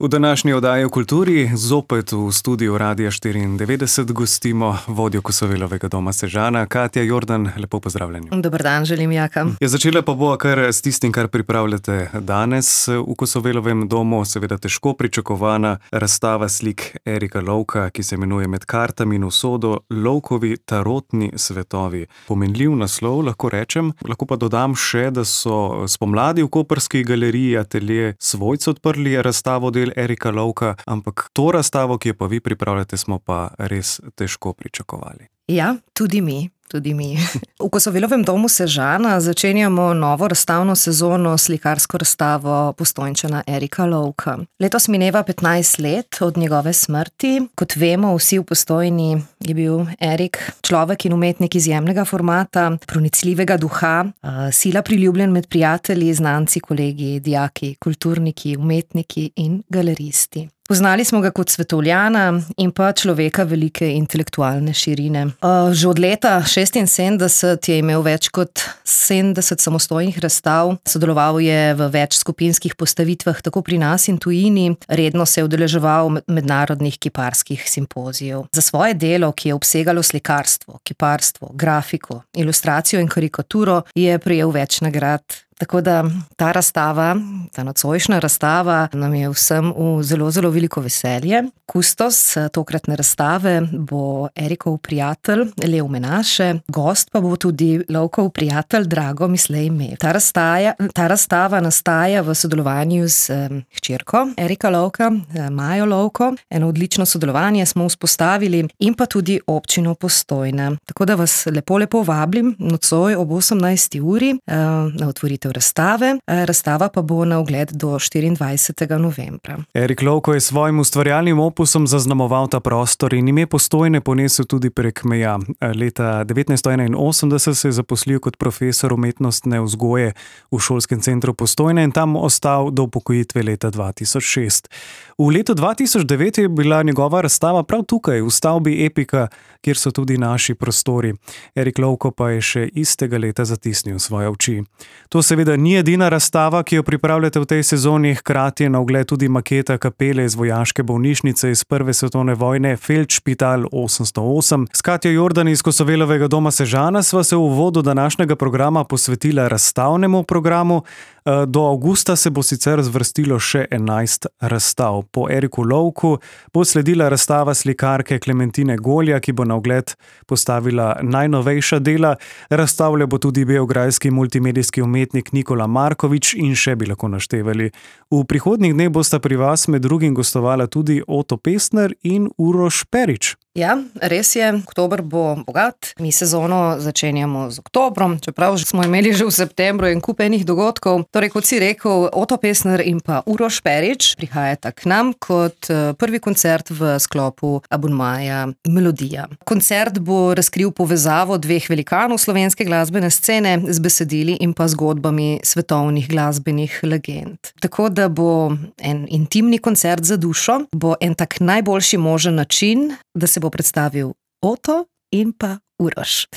V današnji oddaji o kulturi zopet v studiu Radia 94 gostimo vodjo Kosovelovega doma Sežana, Katja Jordan. Lepo pozdravljeni. Dober dan, želim, Jaka. Začela pa bo kar s tistim, kar pripravljate danes v Kosovelovem domu. Seveda težko pričakovana razstava slik Erika Lovka, ki se imenuje Med kartami in usodo, Lovkovi tarotni svetovi. Pomenljiv naslov, lahko rečem. Lahko pa dodam še, da so spomladi v koprski galeriji Atelje Svojci odprli razstavo del Erika Lovka, ampak to razstavo, ki jo pa vi pripravljate, smo pa res težko pričakovali. Ja, tudi mi. V Kosovelovem domu Sežana začenjamo novo razstavno sezono slikarsko razstavo Postojnčana Erika Lovka. Letos mineva 15 let od njegove smrti. Kot vemo, vsi v Postojni je bil Erik človek in umetnik izjemnega formata, pronicljivega duha, sila priljubljen med prijatelji, znanci, kolegi, dijaki, kulturniki, umetniki in galeristi. Poznali smo ga kot svetovljana in pa človeka velike intelektualne širine. Že od leta 1976 je imel več kot 70 samostojnih razstav, sodeloval je v več skupinskih postavitvah tako pri nas in tujini, redno se je udeleževal mednarodnih kiparskih simpozijev. Za svoje delo, ki je obsegalo slikarstvo, kiparstvo, grafiko, ilustracijo in karikaturo, je prejel več nagrad. Tako da ta razstava, ta nocojšnja razstava nam je vsem v zelo, zelo veliko veselje. Kustos tokratne razstave bo Erikov prijatelj Lev Menaše, gost pa bo tudi Lovkov prijatelj Drago Mislej Mev. Ta razstava nastaja v sodelovanju z hčerko Erika Lovka, Majo Lovko. Eno odlično sodelovanje smo vzpostavili in pa tudi občino Postojna. Tako da vas lepo vabim nocoj ob 18. uri na otvoritev razstave. Razstava pa bo na ogled do 24. novembra. Erik Lovko je svojim ustvarjalnim opusom zaznamoval ta prostor in ime Postojne ponesel tudi prek meja. Leta 1981 se je zaposlil kot profesor umetnostne vzgoje v šolskem centru Postojne in tam ostal do upokojitve leta 2006. V letu 2009 je bila njegova razstava prav tukaj, v stavbi Epika, kjer so tudi naši prostori. Erik Lovko pa je še istega leta zatisnil svoje oči. To seveda ni edina razstava, ki jo pripravljate v tej sezoni, hkrati je na ogled tudi maketa kapele iz vojaške bolnišnice iz Prve svetovne vojne Feldšpital 808. S Katjo Jordan iz Kosovelovega doma Sežana sva se v uvodu današnjega programa posvetila razstavnemu programu. Do avgusta se bo sicer zvrstilo še 11 razstav. Po Eriku Lovku bo sledila razstava slikarke Klementine Golja, ki bo na ogled postavila najnovejša dela. Razstavlja bo tudi beograjski multimedijski umetnik Nikola Markovič in še bi lahko naštevali. V prihodnjih dneh bosta pri vas med drugim gostovala tudi Oto Pestner in Uroš Perić. Ja, res je, oktober bo bogat. Mi sezono začenjamo z oktobrom, čeprav smo imeli že v septembru en kup enih dogodkov. Torej, kot si rekel, Oto Pestner in pa Uroš Perić prihajata k nam kot prvi koncert v sklopu abonmaja Melodija. Koncert bo razkril povezavo dveh velikanov slovenske glasbene scene z besedili in pa zgodbami svetovnih glasbenih legend. Tako da bo en intimni koncert za dušo, bo en tak najboljši možen način, da se bo predstavil Oto in pa Uroš.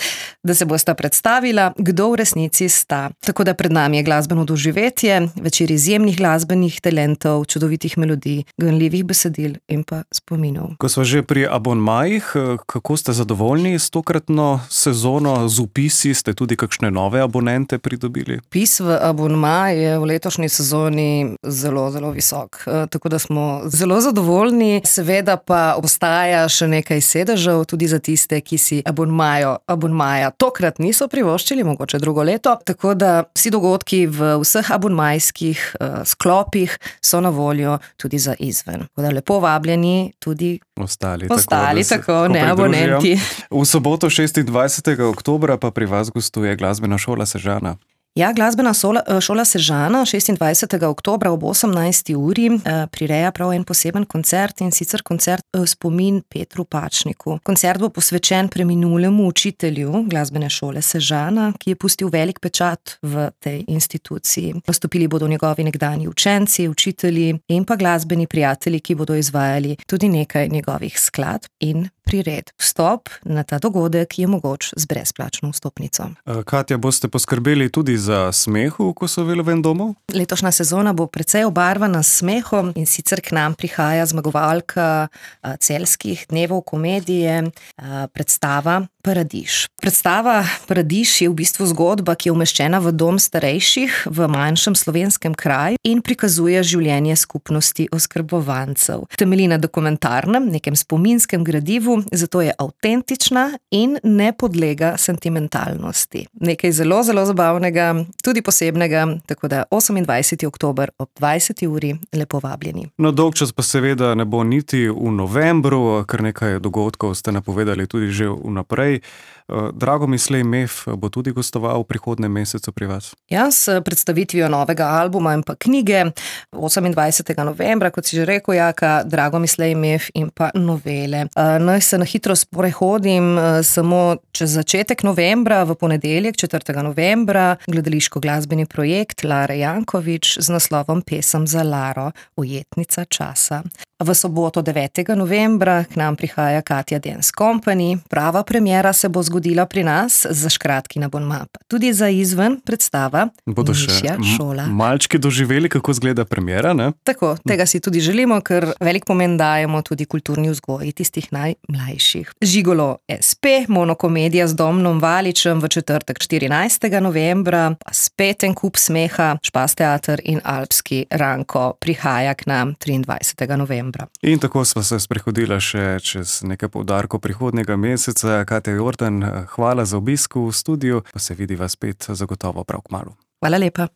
Da se bosta predstavila, kdo v resnici sta. Tako da pred nami je glasbeno doživetje, večer izjemnih glasbenih talentov, čudovitih melodij, ganljivih besedil in pa spominov. Ko smo že pri abonmajih, kako ste zadovoljni s tokratno sezono, z vpisi, ste tudi kakšne nove abonente pridobili? Vpis v abonmaj je v letošnji sezoni zelo, zelo visok. Tako da smo zelo zadovoljni. Seveda pa obstaja še nekaj sedežev, tudi za tiste, ki si abonmaja tokrat niso privoščili, mogoče drugo leto, tako da vsi dogodki v vseh abonmajskih sklopih so na voljo tudi za izven. Tako da lepo vabljeni tudi ostali tako ne abonenti. V soboto 26. oktobra pa pri vas gostuje Glasbena šola Sežana. Ja, Glasbena šola Sežana 26. oktobra ob 18. uri prireja prav en poseben koncert in sicer koncert spomin Petru Pačniku. Koncert bo posvečen preminulemu učitelju Glasbene šole Sežana, ki je pustil velik pečat v tej instituciji. Nastopili bodo njegovi nekdanji učenci, učitelji in pa glasbeni prijatelji, ki bodo izvajali tudi nekaj njegovih skladb in prired. Vstop na ta dogodek je mogoč z brezplačno vstopnico. Katja, boste poskrbeli tudi za smeh v Kosovelovem domu? Letošnja sezona bo precej obarvana s smehom in sicer k nam prihaja zmagovalka celjskih dnevov komedije, predstava Paradiž. Predstava Paradiž je v bistvu zgodba, ki je umeščena v dom starejših v manjšem slovenskem kraju in prikazuje življenje skupnosti oskrbovancev. Temelji na dokumentarnem, nekem spominskem gradivu, zato je avtentična in ne podlega sentimentalnosti. Nekaj zelo, zelo zabavnega, tudi posebnega, tako da 28. oktober ob 20. uri lepo vabljeni. No, dolgčas pa seveda ne bo niti v novembru, kar nekaj dogodkov ste napovedali tudi že vnaprej. Dragomislej Mef bo tudi gostoval v prihodnjem mesecu pri vas. Ja, s predstavitvijo novega albuma in pa knjige 28. novembra, kot si že rekel, Jaka, Dragomislej Mef in pa novele. Naj se na hitro sprehodim samo čez začetek novembra, v ponedeljek 4. novembra, gledališko-glasbeni projekt Lare Jankovič z naslovom Pesem za Laro, ujetnica časa. V soboto 9. novembra k nam prihaja Katja Dance Company. Prava premiera se bo zgodila pri nas za Škratkina Bon Map. Tudi za izven predstava Bodo Mišja še šola. malčki doživeli, kako izgleda premiera, ne? Tako, tega si tudi želimo, ker velik pomen dajemo tudi kulturni vzgoji tistih najmlajših. Žigolo SP, monokomedija z Domnom Valičem v četrtek 14. novembra, pa spet en kup smeha, Špas teater in Alpski Ranko prihaja k nam 23. novembra. In tako sva se sprehodila še čez nekaj poudarkov prihodnjega meseca. Katja Jordan, hvala za obisk v studiu, pa se vidiva spet zagotovo prav kmalu. Hvala lepa.